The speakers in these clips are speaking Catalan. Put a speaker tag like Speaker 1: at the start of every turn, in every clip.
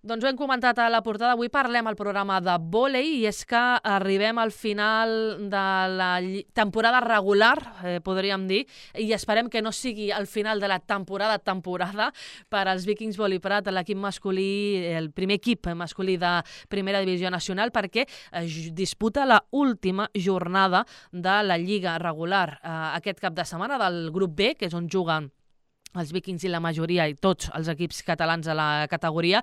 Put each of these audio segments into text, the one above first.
Speaker 1: Doncs ho hem comentat a la portada. Avui parlem al programa de vòlei i és que arribem al final de la temporada regular, podríem dir, i esperem que no sigui el final de la temporada per als Vikings Vòlei Prat, l'equip masculí, el primer equip masculí de Primera Divisió Nacional, perquè disputa la última jornada de la Lliga regular aquest cap de setmana del grup B, que és on juguen els Vikings i la majoria i tots els equips catalans a la categoria,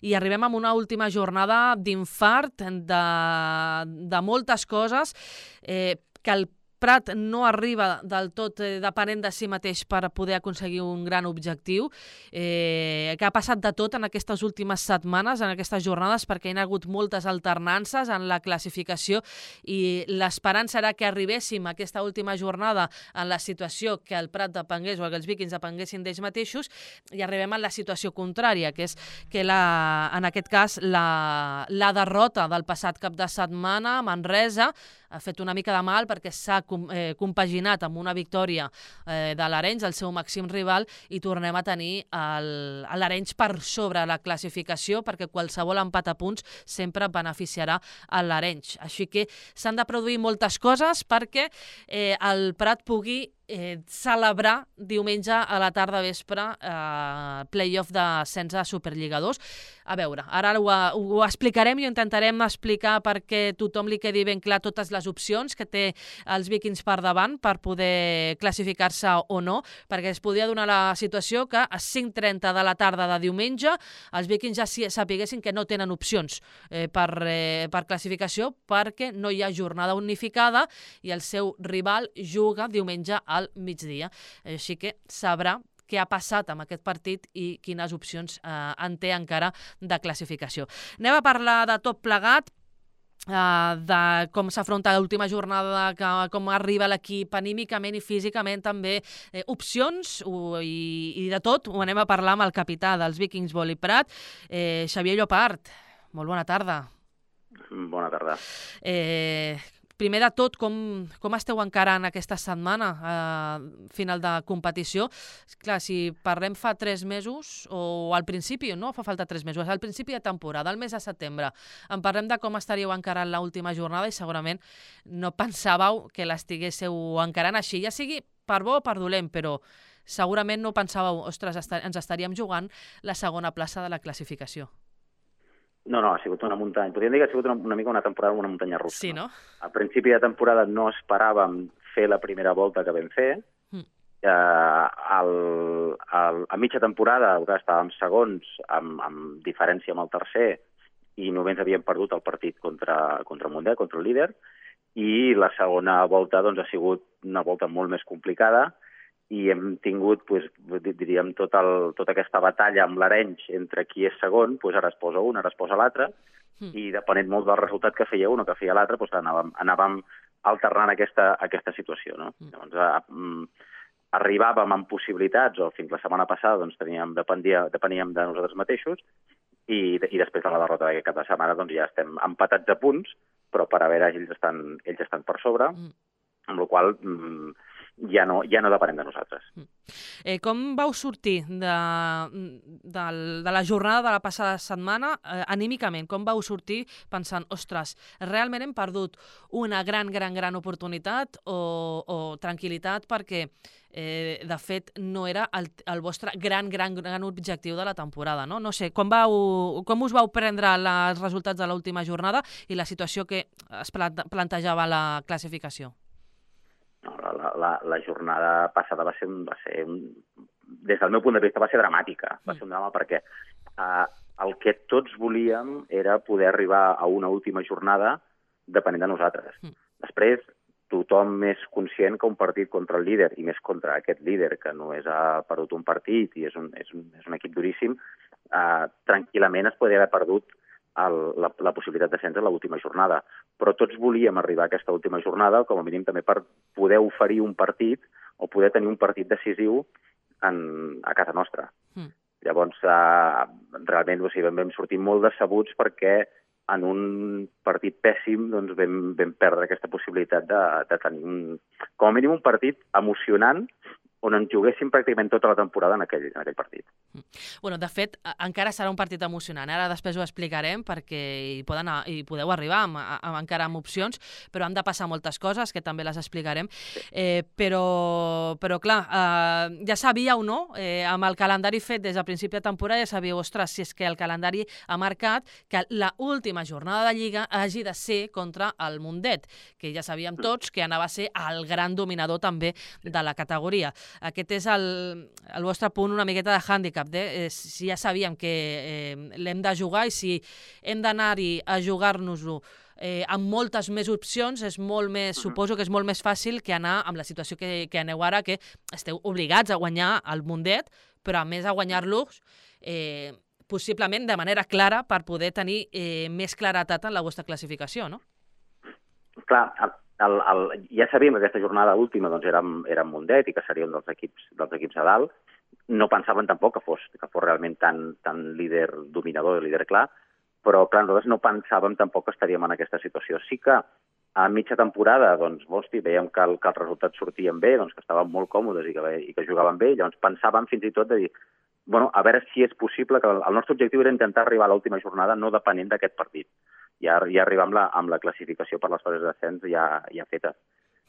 Speaker 1: i arribem a una última jornada d'infart de moltes coses que el Prat no arriba del tot depenent de si mateix per poder aconseguir un gran objectiu, que ha passat de tot en aquestes últimes setmanes, en aquestes jornades, perquè hi ha hagut moltes alternances en la classificació i l'esperança era que arribéssim a aquesta última jornada en la situació que el Prat depengués o que els Vikings depenguessin d'ells mateixos, i arribem a la situació contrària, que és que en aquest cas la derrota del passat cap de setmana a Manresa ha fet una mica de mal perquè s'ha compaginat amb una victòria de l'Arenys, el seu màxim rival, i tornem a tenir l'Arenys per sobre la classificació, perquè qualsevol empat a punts sempre beneficiarà a l'Arenys. Així que s'han de produir moltes coses perquè el Prat pugui celebrar diumenge a la tarda vespre play-off d'ascens a Superliga 2. A veure, ara ho explicarem i ho intentarem explicar perquè tothom li quedi ben clar totes les opcions que té els Vikings per davant per poder classificar-se o no, perquè es podria donar la situació que a 5:30 de la tarda de diumenge els Vikings ja sapiguessin que no tenen opcions per classificació perquè no hi ha jornada unificada i el seu rival juga diumenge al migdia. Així que sabrà què ha passat amb aquest partit i quines opcions en té encara de classificació. Anem a parlar de tot plegat, de com s'afronta l'última jornada, com arriba l'equip anímicament i físicament també, opcions i de tot. Ho anem a parlar amb el capità dels Vikings Vòlei Prat, Xavier Llopart. Molt bona tarda.
Speaker 2: Bona tarda.
Speaker 1: Primer de tot, com esteu encarant aquesta setmana final de competició? Clar, si parlem fa 3 mesos, o al principi, no fa falta 3 mesos, al principi de temporada, al mes de setembre, en parlem de com estaríeu encarant l'última jornada i segurament no pensàveu que l'estiguéssiu encarant així, ja sigui per bo o per dolent, però segurament no pensàveu, ostres, ens estaríem jugant la segona plaça de la classificació.
Speaker 2: No, ha sigut una muntanya. Podríem dir que ha sigut una mica una temporada una muntanya russa.
Speaker 1: Sí, no?
Speaker 2: Al principi de temporada no esperàvem fer la primera volta que vam fer. A mitja temporada estàvem segons amb diferència amb el tercer i només havíem perdut el partit contra Mundet, contra el líder. I la segona volta ha sigut una volta molt més complicada i hem tingut, diríem, tota aquesta batalla amb l'Arenys entre qui és segon, ara es posa un, ara es posa l'altre, i depenent molt del resultat que feia un o que feia l'altre, anàvem alternant aquesta situació. No? Llavors, arribàvem amb possibilitats, o fins la setmana passada depeníem de nosaltres mateixos, i després de la derrota d'aquest cap de setmana ja estem empatats a punts, però per a veure ells estan per sobre, amb la qual cosa ja no depenem de nosaltres.
Speaker 1: Com vau sortir de la jornada de la passada setmana anímicament? Com vau sortir pensant, ostres, realment hem perdut una gran oportunitat o tranquil·litat perquè de fet no era el vostre gran objectiu de la temporada, no? No sé, com us vau prendre els resultats de l'última jornada i la situació que es plantejava a la classificació?
Speaker 2: La jornada passada va ser des del meu punt de vista, va ser dramàtica. Va ser un drama perquè el que tots volíem era poder arribar a una última jornada depenent de nosaltres. Després, tothom és conscient que un partit contra el líder, i més contra aquest líder, que només ha perdut un partit i és un equip duríssim, tranquil·lament es podria haver perdut la possibilitat d'ascens a l'última jornada. Però tots volíem arribar a aquesta última jornada, com a mínim també per poder oferir un partit o poder tenir un partit decisiu a casa nostra. Llavors, realment vam sortir molt decebuts perquè en un partit pèssim vam perdre aquesta possibilitat de tenir com a mínim un partit emocionant on ens juguéssim pràcticament tota la temporada en aquell partit.
Speaker 1: Bueno, de fet, encara serà un partit emocionant. Ara després ho explicarem perquè hi podeu arribar encara amb opcions, però han de passar moltes coses que també les explicarem. Però clar, ja sabíeu, no? Amb el calendari fet des del principi de temporada ja sabíeu, ostres, si és que el calendari ha marcat que l'última jornada de Lliga hagi de ser contra el Mundet, que ja sabíem tots que anava a ser el gran dominador també de la categoria. Aquest és el vostre punt una miqueta de hàndicap. Si ja sabíem que l'hem de jugar i si hem d'anar-hi a jugar-nos-ho amb moltes més opcions, és molt més, suposo que és molt més fàcil que anar amb la situació que aneu ara, que esteu obligats a guanyar el Mundet, però a més a guanyar-los possiblement de manera clara per poder tenir més claretat en la vostra classificació, no?
Speaker 2: Clar, ja sabíem que aquesta jornada última doncs, era Mundet i que seria un dels equips a dalt. No pensaven tampoc que fos realment tan líder dominador, líder clar, però clar, nosaltres no pensàvem tampoc que estaríem en aquesta situació. Sí que a mitja temporada doncs, veiem que els resultats sortien bé, doncs, que estàvem molt còmodes i que jugaven bé, llavors pensàvem fins i tot de dir a veure si és possible, que el nostre objectiu era intentar arribar a l'última jornada no depenent d'aquest partit. Ja arribar amb la classificació per les fases d'ascens ja feta.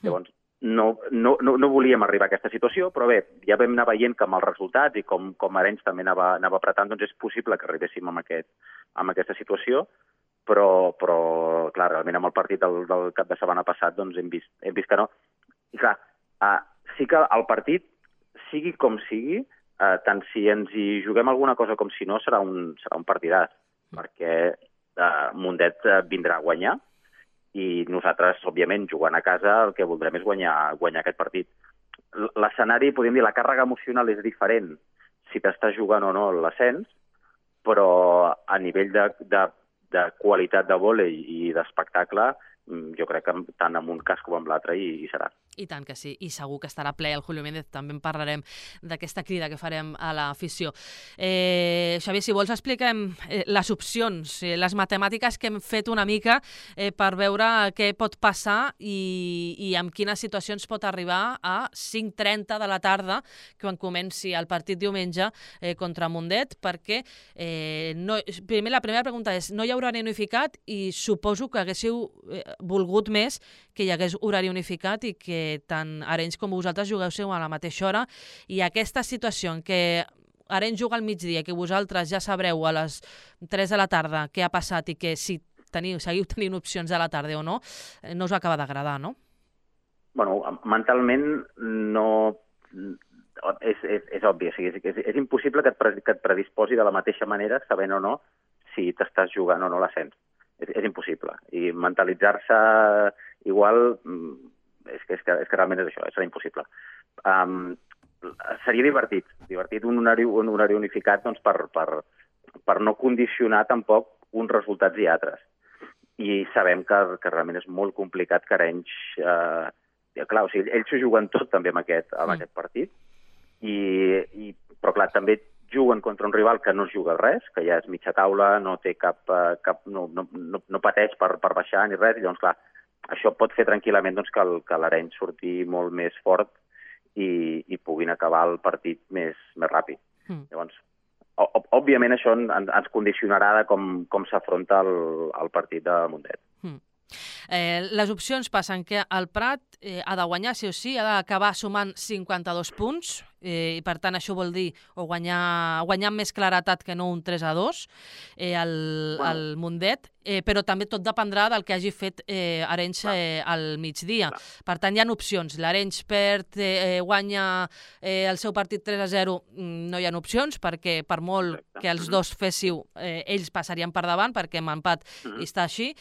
Speaker 2: Llavors, no volíem arribar a aquesta situació, però bé, ja vam anar veient que amb els resultats i com Arenys també anava apretant, doncs és possible que arribéssim amb aquesta situació, però clar, realment amb el partit del cap de setmana passat doncs hem vist que no. I clar, sí que el partit, sigui com sigui, tant si ens hi juguem alguna cosa com si no, serà un partidàs, perquè Mundet vindrà a guanyar i nosaltres, òbviament, jugant a casa, el que voldrem és guanyar aquest partit. L'escenari, podríem dir, la càrrega emocional és diferent si t'estàs jugant o no l'ascens, però a nivell de qualitat de vòlei i d'espectacle, jo crec que tant en un cas com en l'altre hi serà.
Speaker 1: I tant que sí, i segur que estarà ple el Julio Méndez, també en parlarem d'aquesta crida que farem a l'afició. Xavier, si vols expliquem les opcions, les matemàtiques que hem fet una mica per veure què pot passar i amb quines situacions pot arribar a 5:30 de la tarda, quan comenci el partit diumenge contra Mundet, perquè la primera pregunta és, no hi ha horari unificat i suposo que haguéssiu volgut més que hi hagués horari unificat i que tant Arenys com vosaltres jugueu a la mateixa hora, i aquesta situació en què Arenys juga al migdia, que vosaltres ja sabreu a les 3 de la tarda què ha passat i que si seguiu tenint opcions a la tarda o no, no us acaba d'agradar, no?
Speaker 2: Bueno, mentalment no... És obvi, és impossible que et predisposi de la mateixa manera, sabent o no si t'estàs jugant o no l'ascens. És impossible. I mentalitzar-se igual és que realment és això, serà impossible. Seria divertit un horari unificat doncs, per no condicionar tampoc uns resultats i altres. I sabem que realment és molt complicat que Arenys... Clar, o sigui, ells s'ho juguen tot també amb aquest partit, però clar, també juguen contra un rival que no es juga res, que ja és mitja taula, no té no pateix per baixar ni res, i llavors, clar, això pot fer tranquil·lament doncs, que l'Arenys surti molt més fort i puguin acabar el partit més ràpid. Llavors, òbviament això ens condicionarà de com s'afronta el partit de Mundet.
Speaker 1: Les opcions passen que el Prat ha de guanyar, sí o sí, ha d'acabar sumant 52 punts, i per tant això vol dir guanyar amb més claretat que no un 3-2 al Mundet, però també tot dependrà del que hagi fet Arenys al migdia. Per tant, hi ha opcions. L'Arenys perd, guanya el seu partit 3-0, no hi ha opcions, perquè per molt que els dos féssiu, ells passarien per davant, perquè amb empat està així.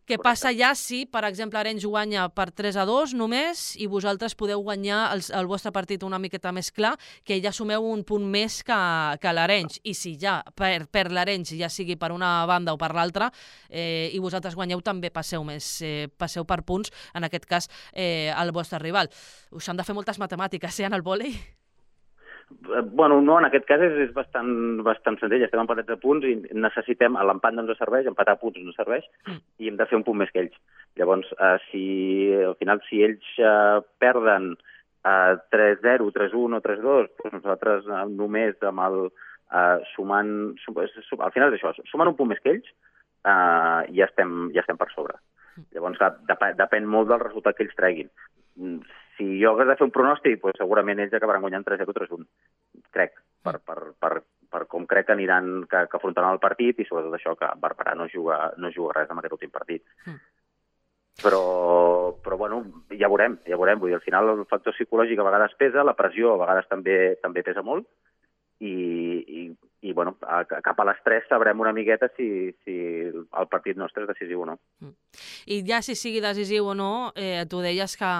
Speaker 1: Què passa ja si, per exemple, Arenys guanya per 3-2 només i vosaltres podeu guanyar el vostre partit una miqueta més clar, que ja sumeu un punt més que l'Arenys. I si ja per l'Arenys, ja sigui per una banda o per l'altra, i vosaltres guanyeu, també passeu per punts, en aquest cas, al vostre rival. Us han de fer moltes matemàtiques, en el vòlei?
Speaker 2: Bueno, no, en aquest cas és bastant senzill. Estem empatats a punts i necessitem, l'empat no ens serveix, empatar a punts no ens serveix, i hem de fer un punt més que ells. Llavors, al final, si ells perden 3-0, 3-1 o 3-2, doncs nosaltres només amb el sumant... Al final és això, sumant un punt més que ells, ja estem per sobre. Llavors, depèn molt del resultat que ells treguin. Si jo hagués de fer un pronòstic, doncs segurament ells acabaran guanyant 3-0 o 3-1, crec, per com crec que aniran, que afrontaran el partit i sobretot això, que Barberà no juga res en aquest últim partit. Però bueno, ja veurem. Vull dir, al final el factor psicològic a vegades pesa, la pressió a vegades també pesa molt i bueno, cap a les 3 sabrem una miqueta si el partit nostre és decisiu o no.
Speaker 1: I ja si sigui decisiu o no, tu deies que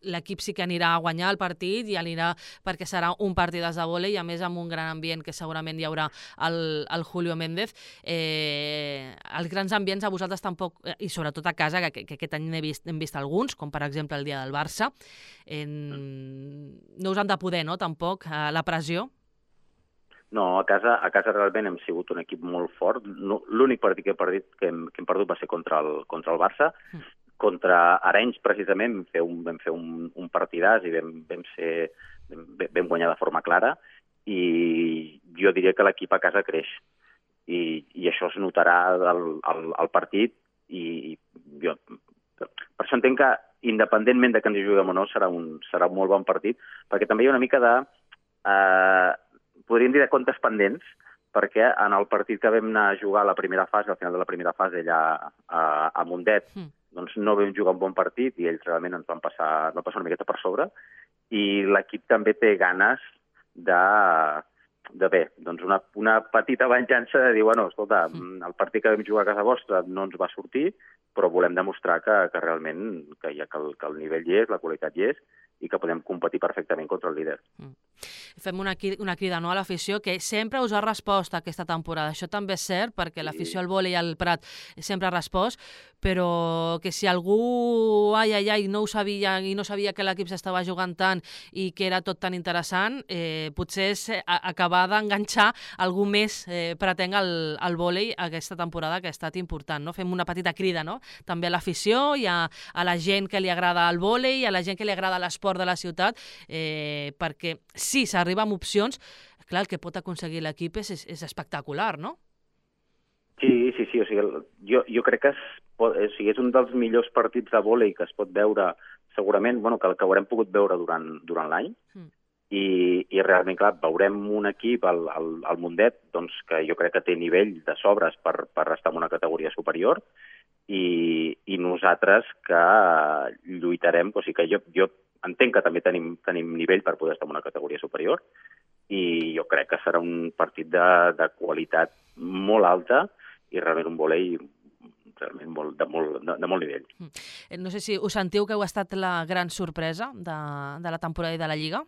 Speaker 1: l'equip sí que anirà a guanyar el partit i anirà perquè serà un partidàs de vòlei i a més amb un gran ambient que segurament hi haurà el Julio Méndez. Els grans ambients a vosaltres tampoc, i sobretot a casa, que aquest any hem vist alguns, com per exemple el dia del Barça, no us han de poder, no, tampoc, la pressió?
Speaker 2: No, a casa realment hem sigut un equip molt fort. L'únic partit que hem perdut va ser contra el Barça. Contra Arenys, precisament, vam fer un partidàs i vam guanyar de forma clara i jo diria que l'equip a casa creix i això es notarà al partit i jo per això entenc que independentment de que ens hi juguem o no serà un molt bon partit perquè també hi ha una mica de podríem dir de comptes pendents perquè en el partit que vam anar a jugar a la primera fase, al final de la primera fase allà a Mundet, doncs no vam jugar un bon partit i ells realment ens van passar una miqueta per sobre i l'equip també té ganes de bé, doncs una petita venjança de dir, bueno, escolta, el partit que vam jugar a casa vostra no ens va sortir, però volem demostrar que realment que el nivell hi és, la qualitat hi és i que podem competir perfectament contra el líder.
Speaker 1: Fem una crida a l'afició que sempre us ha respost aquesta temporada. Això també és cert, perquè l'afició al vòlei al Prat sempre ha respost, però que si algú no ho sabia i no sabia que l'equip s'estava jugant tant i que era tot tan interessant, potser és acabar d'enganxar algú més pretenc al vòlei aquesta temporada que ha estat important. No? Fem una petita crida, no? També a l'afició i a la gent que li agrada el vòlei i a la gent que li agrada l'esport de la ciutat, perquè si s'arriba amb opcions, clar, el que pot aconseguir l'equip és espectacular, no?
Speaker 2: Sí, o sigui, jo crec que és un dels millors partits de vòlei que es pot veure, segurament, bueno, que haurem pogut veure durant l'any, i realment, clar, veurem un equip, al Mundet, doncs, que jo crec que té nivell de sobres per estar en una categoria superior, i nosaltres que lluitarem, o sigui que jo entenc que també tenim nivell per poder estar en una categoria superior i jo crec que serà un partit de qualitat molt alta i realment un vòlei realment de molt nivell.
Speaker 1: No sé si us sentiu que heu estat la gran sorpresa de la temporada i de la Lliga?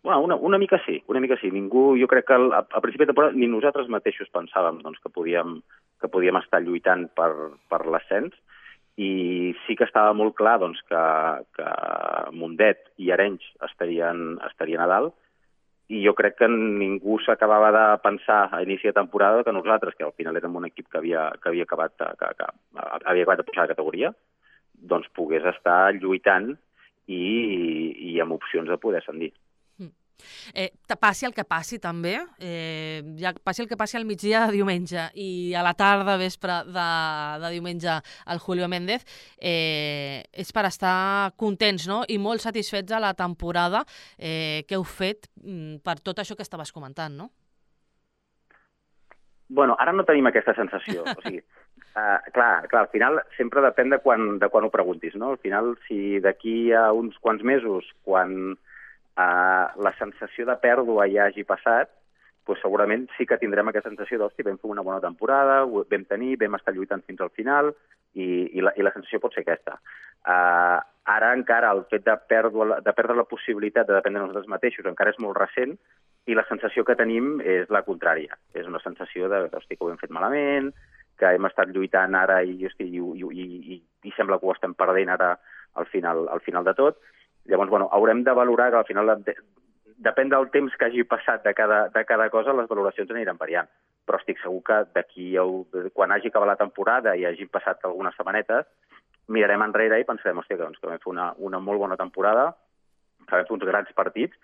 Speaker 2: Bueno, una mica sí. Ningú, jo crec que a principi de temporada ni nosaltres mateixos pensàvem doncs, que podíem estar lluitant per l'ascens i sí que estava molt clar doncs, que Mundet i Arenys estarien a dalt i jo crec que ningú s'acabava de pensar a inici de temporada que nosaltres, que al final érem un equip que havia acabat de pujar de categoria, doncs pogués estar lluitant i amb opcions de poder ascendir.
Speaker 1: Passi el que passi també, passi el que passi al migdia de diumenge i a la tarda, vespre de diumenge al Julio Méndez, és per estar contents, no? I molt satisfets de la temporada que heu fet per tot això que estaves comentant, no?
Speaker 2: Bueno, ara no tenim aquesta sensació. O sigui, clar, al final sempre depèn de quan ho preguntis, no? Al final, si d'aquí a uns quants mesos, quan la sensació de pèrdua ja hagi passat, doncs segurament sí que tindrem aquesta sensació d'hòstia, vam fer una bona temporada, vam estar lluitant fins al final i la sensació pot ser aquesta. Ara encara el fet de perdre la possibilitat de dependre de nosaltres mateixos encara és molt recent i la sensació que tenim és la contrària. És una sensació de que ho hem fet malament, que hem estat lluitant ara i sembla que ho estem perdent ara al final de tot. Llavors, bueno, haurem de valorar que al final, depèn del temps que hagi passat de cada cosa, les valoracions aniran variant. Però estic segur que quan hagi acabat la temporada i hagi passat algunes setmanetes, mirarem enrere i pensarem, hòstia, que vam fer una molt bona temporada, que vam fer uns grans partits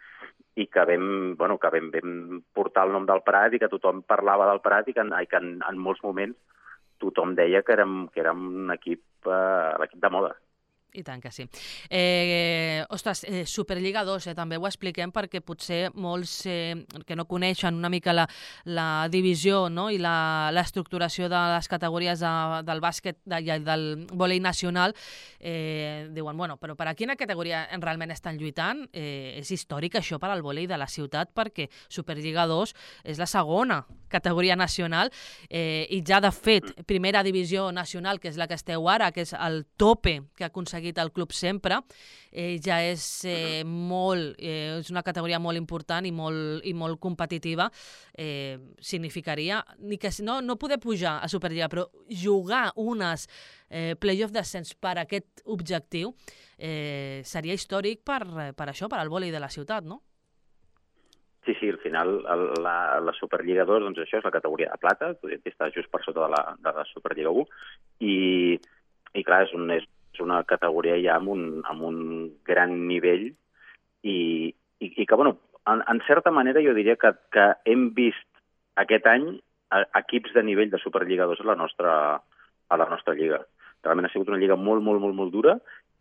Speaker 2: i que vam portar el nom del Prat i que tothom parlava del Prat i que en molts moments tothom deia que érem un equip, l'equip de moda.
Speaker 1: I tant que sí. Ostres, Superliga 2, també ho expliquem perquè potser molts que no coneixen una mica la divisió, no? I l'estructuració de les categories del bàsquet i del vòlei nacional diuen, bueno, però per a quina categoria realment estan lluitant? És històric això per al vòlei de la ciutat perquè Superliga 2 és la segona categoria nacional i ja de fet primera divisió nacional, que és la que esteu ara, que és el tope que ha aconseguit el club sempre, ja és és una categoria molt important i molt competitiva. Significaria que no poder pujar a Superliga, però jugar unes play-off d'ascens per aquest objectiu seria històric per això, per al vòlei de la ciutat, no?
Speaker 2: Sí, al final la Superliga 2, doncs això és la categoria de plata, està just per sota de la Superliga 1, i clar, és una categoria ja amb un gran nivell i que, bueno, en certa manera jo diria que hem vist aquest any equips de nivell de Superliga 2 a la nostra lliga. Realment ha sigut una lliga molt, molt, molt, molt dura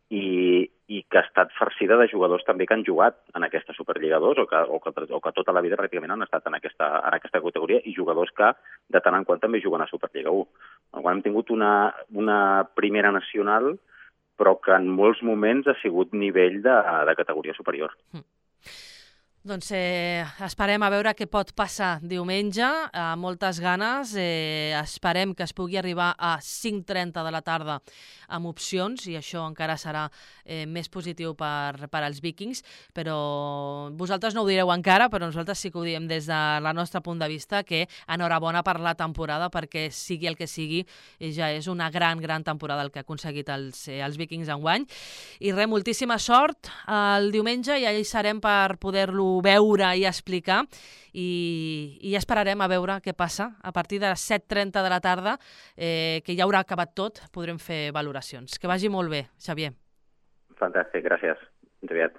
Speaker 2: i que ha estat farcida de jugadors també que han jugat en aquesta Superliga 2 o que tota la vida pràcticament han estat en aquesta categoria i jugadors que de tant en quant també juguen a Superliga 1. Quan hem tingut una primera nacional però que en molts moments ha sigut nivell de categoria superior.
Speaker 1: Doncs esperem a veure què pot passar diumenge, moltes ganes, esperem que es pugui arribar a 5:30 de la tarda amb opcions i això encara serà més positiu per als Vikings, però vosaltres no ho direu encara, però nosaltres sí que ho diem des del nostre punt de vista, que enhorabona per la temporada perquè sigui el que sigui, ja és una gran, gran temporada el que ha aconseguit els Vikings enguany. I res, moltíssima sort el diumenge i allà hi serem per poder-lo veure i explicar i esperarem a veure què passa. A partir de les 7:30 de la tarda, que ja haurà acabat tot, podrem fer valoracions. Que vagi molt bé, Xavier.
Speaker 2: Fantàstic, gràcies. Ens aviat.